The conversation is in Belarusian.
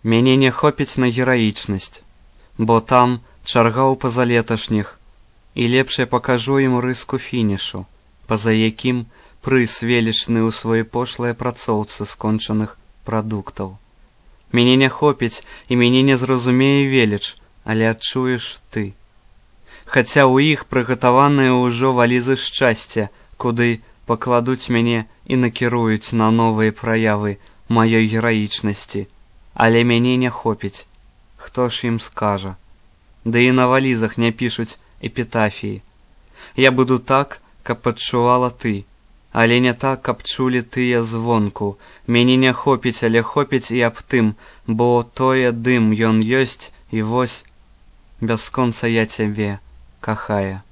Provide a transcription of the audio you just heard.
Мяне не хопіць на гераічнасць, бо там чарга ў пазалеташніх, і лепш я пакажу ім рыску фінішу, па-за якім прыз велічны ў сваёй пошлай апрацоўцы скончаных прадуктаў. Мяне не хопіць і мяне не зразумее веліч, але адчуеш ты. Хаця ў іх прыгатаваныя ўжо валізы шчасця, куды пакладуць мяне і накіруюць на новыя праявы маёй гераічнасці, але мяне не хопіць. Хто ж ім скажа? Ды і на валізах не пішуць эпітафіі. Я буду так, каб адчувала ты, але не так, каб чулі тыя звонку. Мяне не хопіць, але хопіць і аб тым, бо тое дым ён ёсць, і вось бясконца я цябе кахае.